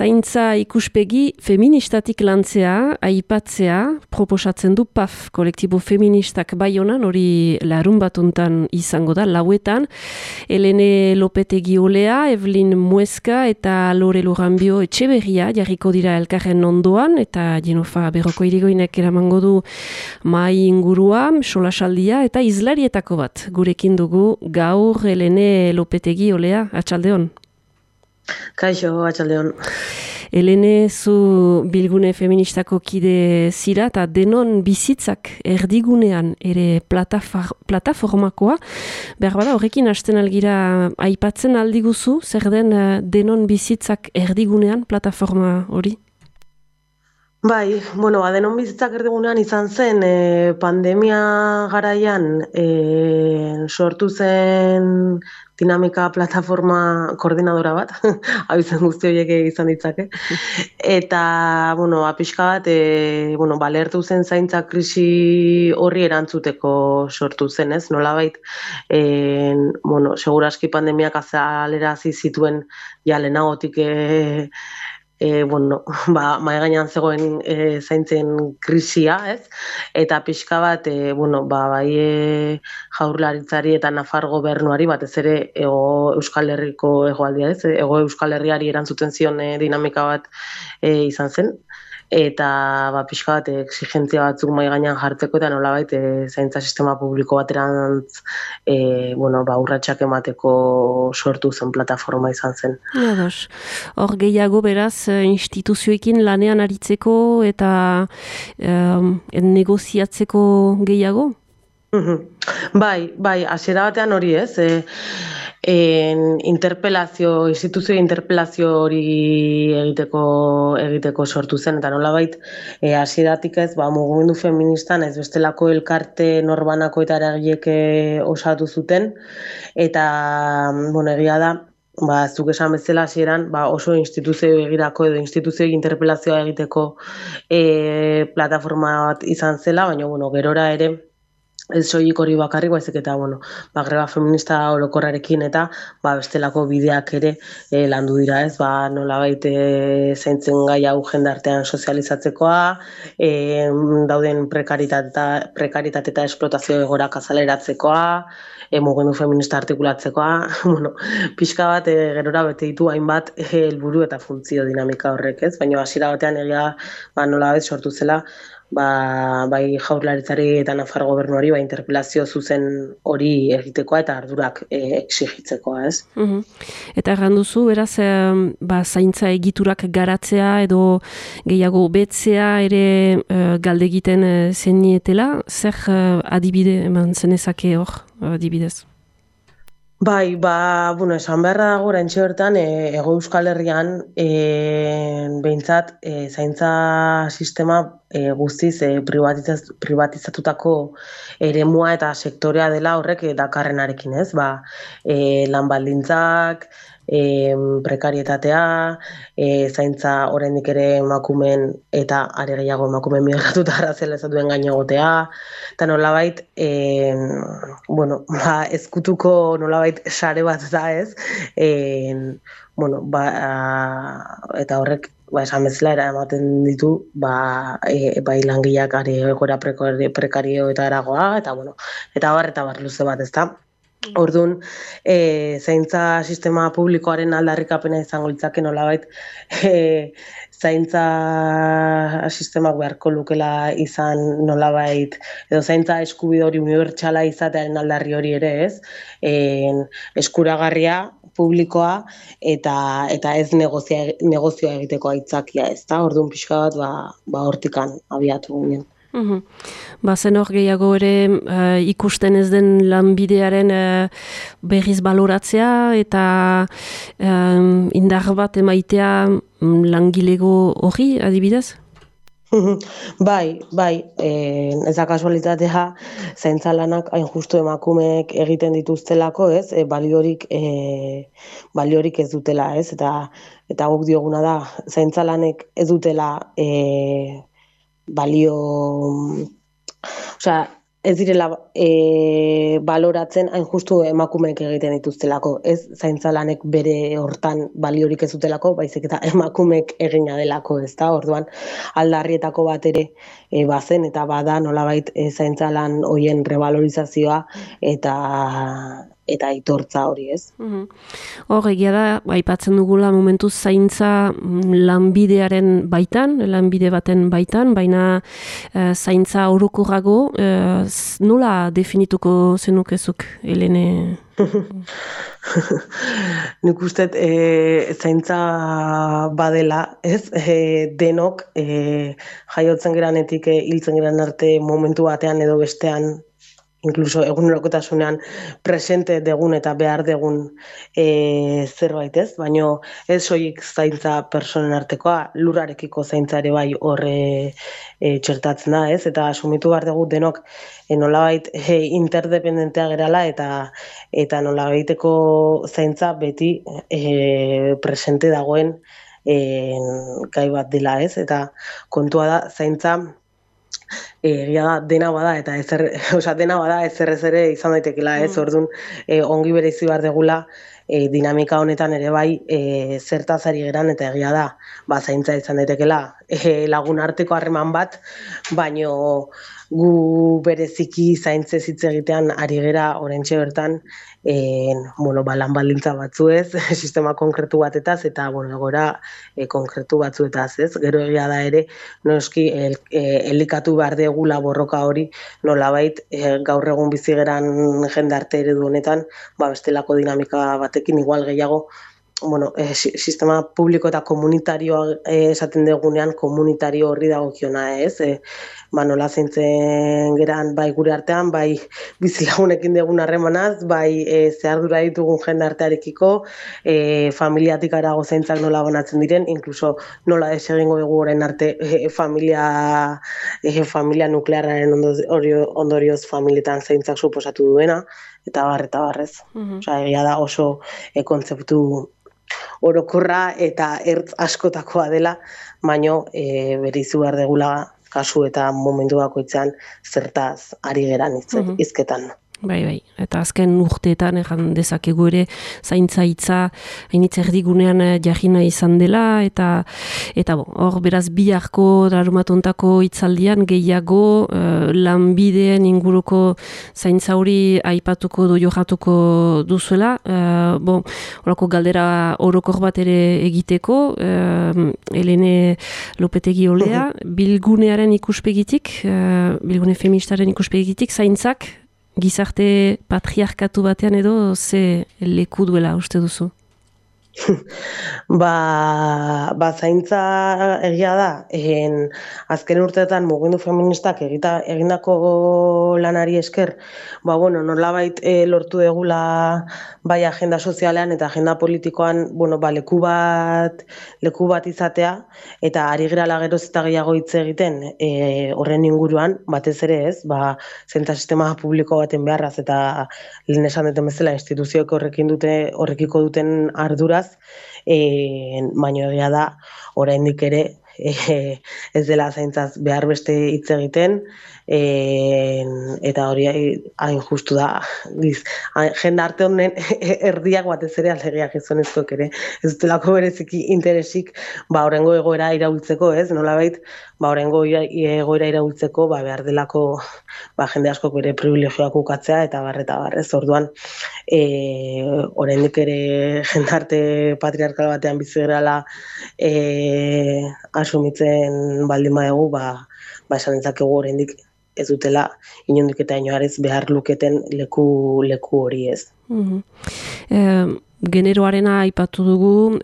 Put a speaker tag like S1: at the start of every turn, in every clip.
S1: zaintza ikuspegi feministatik lantzea, aipatzea, proposatzen du PAF, kolektibo feministak Baionan, hori larun batuntan izango da, lauetan, Helene Lopetegi Olea, Evelyn Mueska eta Lore Luranbio Etxeberria jarriko dira elkarren ondoan, eta Jenofa Berroko irigoinek eramango du mai ingurua, solasaldia eta izlarietako bat. Gurekin dugu gaur Helene Lopetegi Olea, atxaldeon.
S2: Kaixo, atxaldeon.
S1: Helene, zu bilgune feministako kide zira eta denon bizitzak erdigunean ere plataformakoa. Behar bada, horrekin hasten algira aipatzen aldiguzu, zer den denon bizitzak erdigunean plataforma hori?
S2: Bai, denon bizitzak erdigunean izan zen pandemia garaian sortu zen dinamika plataforma koordinadora bat, abizen guzti horiek izan ditzake. Eta, pixka bat, balertu zen zaintza krisi horri erantzuteko sortu zen, ez? Nolabait, seguraski pandemiak azalerazi zituen ja lehenagotik mahai gainean zegoen zaintzen krisia, ez? Eta pixka bat, bai Jaurlaritzari eta Nafar gobernuari, batez ere Euskal Herriko hegoaldia, ez? Hego Euskal Herriari erantzuten zion dinamika bat izan zen. Eta pixka bat exigentzia batzuk mahai gainean jartzeko eta nolabait zaintza sistema publiko baterantz urratsak emateko sortu zen plataforma izan zen.
S1: Hor gehiago beraz instituzioekin lanean aritzeko eta negoziatzeko gehiago?
S2: Bai, hasiera batean hori ez. Instituzio interpelazio hori egiteko sortu zen, eta nolabait hasieratik ez, mugimendu feministan ez bestelako elkarte norbanako eta eragilek osatu zuten, eta egia da, zuk esan bezala hasieran oso instituzio begirako edo instituzio interpelazioa egiteko plataforma bat izan zela, baina gerora ere ez soilik hori bakarrik, baizik eta greba feminista orokorrarekin eta bestelako bideak ere landu dira, ez? Nolabait zaintzen gai hau jendartean sozializatzekoa, dauden prekaritate eta esplotazio egoerak azaleratzekoa, mugimendu feminista artikulatzekoa, pixka bat gerora bete ditu hainbat helburu eta funtzio dinamika horrek, ez? Baina hasiera batean egia nolabait sortu zela bai Jaurlaritzari eta Nafar gobernuari interpelazio zuzen hori egitekoa eta ardurak exigitzekoa, ez?
S1: Eta erranduzu, beraz, zaintza egiturak garatzea edo gehiago betzea ere galdegiten zenietela, zer adibide eman zenezake hor adibidez?
S2: Bai, esan beharra dago oraintxe bertan Hego Euskal Herrian behintzat zaintza sistema guztiz privatizatutako eremua eta sektorea dela horrek dakarrenarekin, ez? Lan baldintzak, prekarietatea, zaintza oraindik ere emakumeen eta are gehiago emakumeen migratuta arrazializatuen gain egotea, eta nolabait ezkutuko nolabait sare bat da, ez? Eta horrek esan bezala eramaten ditu bai langileak egoera prekario eta eragoa, eta bar luze bat, ezta? Orduan, zaintza sistema publikoaren aldarrikapena izango litzake nolabait zaintza sistemak beharko lukela izan nolabait, edo zaintza eskubide hori unibertsala izatearen aldarri hori ere, ez? Eskuragarria, publikoa eta ez negozioa egiteko aitzakia, ez da? Orduan pixka bat hortikan abiatu ginen.
S1: Zen hor gehiago ere ikusten ez den lanbidearen berriz baloratzea eta indar bat emaitea langilego hori adibidez?
S2: Bai, ez da kasualitatea zaintza lanak hain justu emakumeek egiten dituztelako, ez? Baliorik ez dutela, ez? Eta guk dioguna da zaintza lanek ez dutela balio, ez direla baloratzen hain justu emakumeek egiten dituztelako. Ez zaintza lanek bere hortan baliorik ez dutelako, baizik eta emakumeek egina delako, ez da? Orduan, aldarrietako bat ere bazen eta bada nolabait zaintza lan hoien revalorizazioa eta aitortza hori, ez?
S1: Hor, egia da, aipatzen dugula momentu zaintza lanbidearen baitan, lanbide baten baitan, baina zaintza orokorrago, nola definituko zenukezuk, Helene?
S2: Nik uste zaintza badela, ez? Denok jaiotzen geranetik hiltzen geran arte momentu batean edo bestean, inkluso egunerokotasunean presente degun eta behar degun zerbait, ez? Baina ez soilik zaintza personen artekoa, lurrarekiko zaintza ere bai horre txertatzen da, ez? Eta asumitu behar dugu denok nolabait interdependentea gerala eta nolabaiteko zaintza beti presente dagoen gai bat dela, ez? Eta kontua da, zaintza egia da dena bada eta dena bada ezer ere izan daitekela, ez? Orduan ongi bereizi behar degula dinamika honetan ere bai zertaz ari geran eta egia da zaintza izan daitekela lagun arteko harreman bat, baino gu bereziki zaintzez hitz egitean ari gera oraintxe bertan lan baldintza batzuez, sistema konkretu batetaz eta egoera konkretu batzuetaz, ez? Gero egia da ere noski elikatu behar degula borroka hori nolabait gaur egun bizi geran jendarte eredu honetan, bestelako dinamika batekin igual gehiago sistema publiko eta komunitarioa esaten dugunean komunitario horri dagokiona, ez? Nola zaintzen geran bai gure artean, bai bizilagunekin dugun harremanaz, bai zehardura ditugun jende artearekiko, familiatik arago zaintzak nola banatzen diren, inkluso nola egingo dugu orain arte familia nuklearraren ondorioz familietan zaintzak suposatu duena, eta barrez. Egia da oso kontzeptu orokorra eta ertz askotakoa dela, baino bereizu behar degula kasu eta momentu bakoitzean zertaz ari geran hizketan.
S1: Bai, eta azken urteetan egan dezakegu ere zaintza hitza hainitz erdigunean jarrina izan dela eta hor beraz biharko larumatontako hitzaldian gehiago lanbideen inguruko zaintza hori aipatuko jokatuko duzuela. Horako galdera orokor bat ere egiteko, Helene Lopetegi Olea, bilgunearen ikuspegitik, bilgune feministaren ikuspegitik, zaintzak gizarte patriarkatu batean edo ze leku duela uste duzu?
S2: Zaintza egia da, azken urteetan mugimendu feministak egindako lanari esker, nolabait lortu degula bai agenda sozialean eta agenda politikoan, leku bat izatea, eta ari gerala geroz eta gehiago hitz egiten horren inguruan, batez ere ez, zaintza sistema publiko baten beharraz eta lehen esan duten bezala instituzioek horrekiko duten arduraz, baino egia da oraindik ere ez dela zaintzaz behar beste hitz egiten eta hori hain justu da jende arte honen erdiak batez ere aldegiak gizonezkoek ere ez dutelako bereziki interesik horrengo egoera iraultzeko, ez? Nolabait horrengo egoera iraultzeko behar delako jende askok bere privilegioak ukatzea eta barrez. Orduan oraindik ere jendarte patriarkal batean bizi gerala asumitzen baldin badugu, esan ditzakegu oraindik ez dutela inondik eta inoarez behar luketen leku hori, ez.
S1: Generoarena aipatu dugu,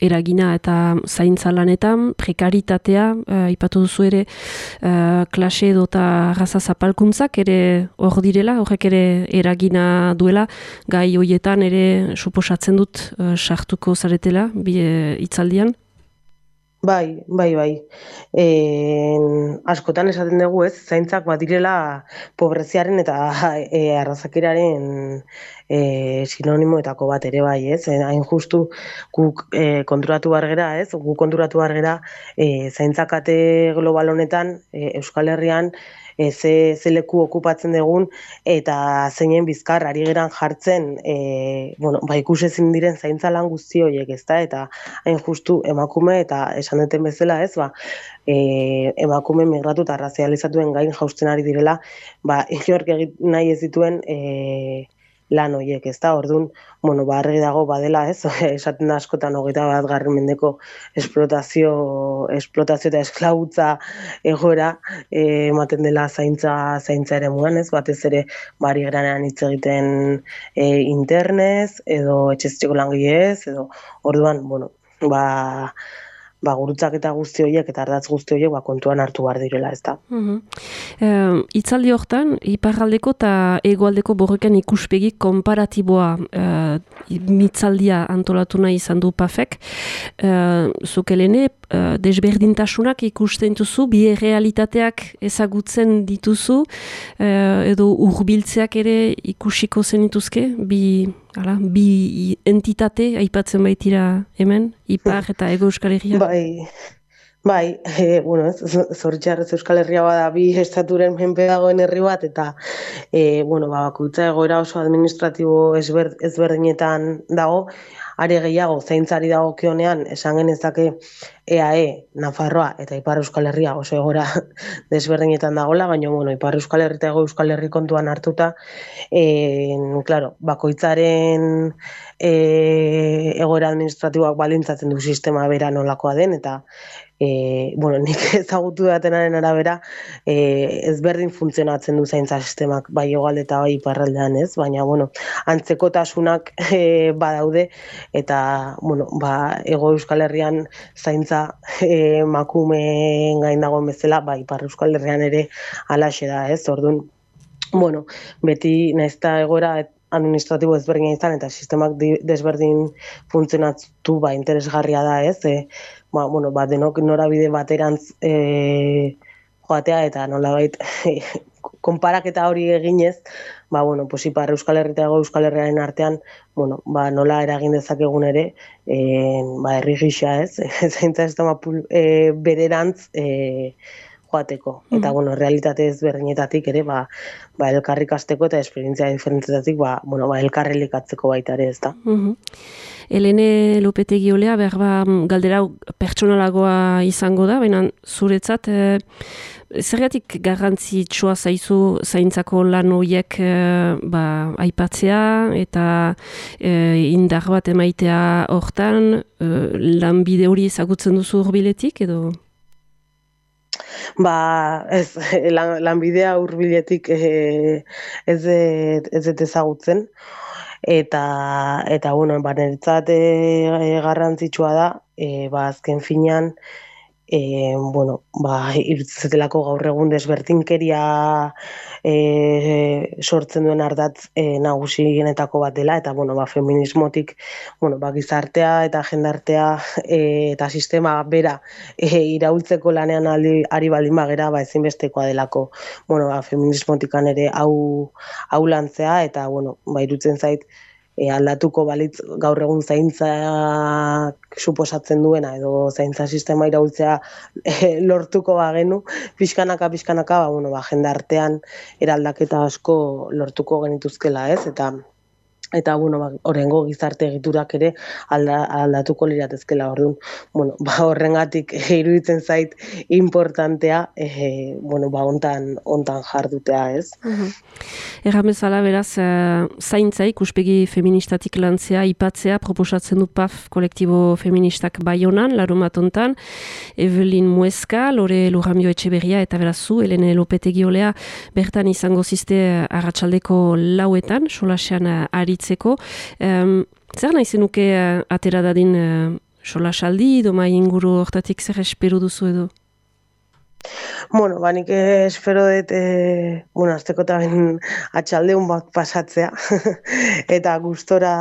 S1: eragina eta zaintza lanetan, prekaritatea aipatu duzu ere, klase edo eta raza zapalkuntzak ere hor direla, horrek ere eragina duela, gai hoietan ere suposatzen dut sartuko zaretela hitzaldian?
S2: Bai. Askotan esaten dugu, ez, zaintzak badirela pobreziaren eta arrazakiraren sinonimoetako bat ere bai, ez? Hain justu guk konturatu behar gera, ez? Guk konturatu behar gera zaintzakate global honetan Euskal Herrian ze leku okupatzen dugun eta zeinen bizkar ari geran jartzen ikusezin diren zaintza lan guzti horiek, ezta? Eta hain justu emakume eta esan duten bezala, ez? Emakume migratu eta razializatuen gain jausten ari direla, inork egin nahi ez dituen lan horiek, ezta? Orduan, argi dago badela, ez? Esaten da askotan 21. mendeko esplotazio eta esklabutza egoera ematen dela zaintza eremuan, ez? Batez ere ari geranean hitz egiten internez edo etxezteko langileez edo orduan, gurutzak eta guzti horiek eta ardatz guzti horiek kontuan hartu behar direla, ezta.
S1: Hitzaldi hortan, iparraldeko eta hegoaldeko borroken ikuspegi konparatiboa mitzaldia antolatu nahi izan du PAFek. Zuk Helene, desberdintasunak ikusten duzu, bi realitateak ezagutzen dituzu, edo hurbiltzeak ere ikusiko zenituzke, bi entitate aipatzen baitira hemen, Ipar eta Hego Euskal Herria?
S2: Zoritxarrez Euskal Herria bada bi estaturen menpe dagoen herri bat, eta bakoitza egoera oso administratibo ezberdinetan dago, are gehiago zaintzari dagokionean esan genezake EAE, Nafarroa eta Ipar Euskal Herria oso egoera desberdinetan dagoela, baina Ipar Euskal Herri eta Hego Euskal Herri kontuan hartuta, bakoitzaren egoera administratiboak balintzatzen du sistema bera nolakoa den, eta nik ezagutu datenaren arabera ezberdin funtzionatzen du zaintza sistemak bai hegoalde eta bai iparraldean, ez? Baina antzekotasunak badaude eta Hego Euskal Herrian zaintza emakumeen gain dagoen bezala, Ipar Euskal Herrian ere halaxe da, ez? Orduan, beti naizta egoera administratibo ezberdina izan eta sistemak desberdin funtzionatu interesgarria da, ez? Denok norabide baterantz joatea eta nolabait konparaketa hori eginez, Ipar Euskal Herri eta Hego Euskal Herriaren artean, nola eragin dezakegun ere, herri gisa, ez? Zaintza sistema bererantz joateko. Eta, realitate ezberdinetatik ere, elkarrik azteko eta esperientzia diferentzetatik, elkarrelikatzeko baita ere, ez da.
S1: Helene Lopetegi Olea, galdera pertsonalagoa izango da, baina zuretzat, zergatik garrantzitsua zaizu zaintzako lan horiek aipatzea eta indar bat emaitea hortan, lanbide hori ezagutzen duzu hurbiletik edo?
S2: Lanbidea hurbiletik ez dut ezagutzen, eta niretzat garrantzitsua da, azken finean, iruditzetelako gaur egun desberdinkeria sortzen duen ardatz nagusienetako bat dela, eta feminismotik gizartea eta jendartea eta sistema bera iraultzeko lanean ari baldin bagera, ezinbestekoa delako feminismotikan ere hau lantzea, eta iruditzen zait aldatuko balitz gaur egun zaintzak suposatzen duena edo zaintza sistema iraultzea lortuko bagenu, pixkanaka, jendartean eraldaketa asko lortuko genituzkela, ez? Eta horrengo gizarte egiturak ere aldatuko liratezkela. Orduan, horrengatik iruditzen zait importantea hontan jardutea, ez?
S1: Erran bezala, beraz, zaintza ikuspegi feministatik lantzea, ipatzea, proposatzen du PAF kolektibo feministak Baionan, larumat hontan, Evelyn Mueska, Lore Lurramio Etxeberria, eta beraz zu, Helene Lopetegi Olea, bertan izango ziste arratsaldeko 4etan, solasean aritzeko. Zer nahi zenuke atera dadin solasaldi, doma inguru hortatik zer espero duzu edo?
S2: Nik espero dut, azteko eta ben atxaldeun bat pasatzea, eta gustora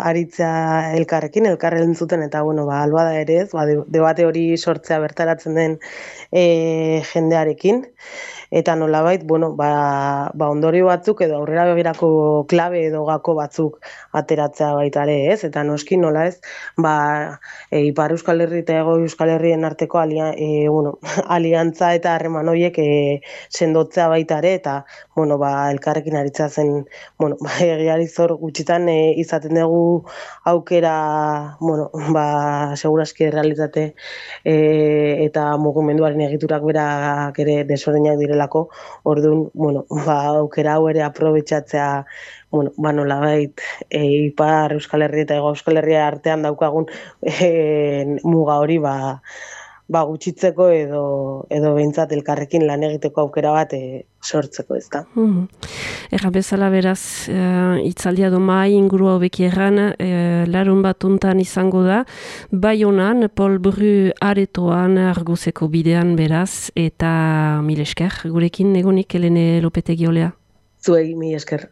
S2: aritzea elkarrekin entzuten, eta albada ere ez, debate hori sortzea bertaratzen den jendearekin, eta nolabait, ondorio batzuk edo aurrera begirako klabe edo gako batzuk ateratzea baita ere, ez? Eta noski nola ez, Ipar Euskal Herri eta Hego Euskal Herrien arteko aliantza eta harreman horiek sendotzea baita ere, eta elkarrekin aritzea zen, egiari zor gutxitan izaten dugu aukera, seguraski realitate eta mugimenduaren egiturak berak ere desberdinak direlako, orduan, aukera hau ere aprobetxatzea, nolabait, Ipar Euskal Herri eta Hego Euskal Herria artean daukagun muga hori gutxitzeko edo behintzat elkarrekin lan egiteko aukera bat sortzeko, ez da.
S1: Erra bezala beraz, itzaldia do mai inguru hau beki erran, larun bat untan izango da, Baionan, Paul Bru aretoan Arguseko bidean beraz, eta mil esker, gurekin egonik Helene Lopetegi olea.
S2: Zuei, mil esker.